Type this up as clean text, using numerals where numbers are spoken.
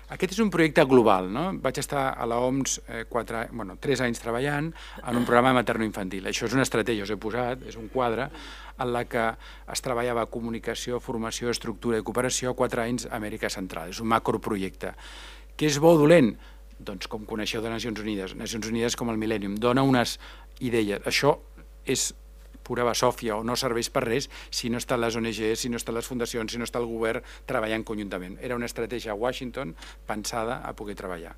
Aquest és un projecte global, no? Vaig estar a l'OMS 3 anys treballant en un programa materno-infantil. Això és una estratègia, us he posat, és un quadre en la que es treballava comunicació, formació, estructura i cooperació 4 anys a Amèrica Central. És un macroprojecte. Què és bo o dolent? Doncs com coneixeu de Nacions Unides com el Millennium, dona unes idees. Això és pura basòfia o no serveix per res si no estan les ONG, si no estan les fundacions, si no està el govern treballant conjuntament. Era una estratègia a Washington pensada a poder treballar.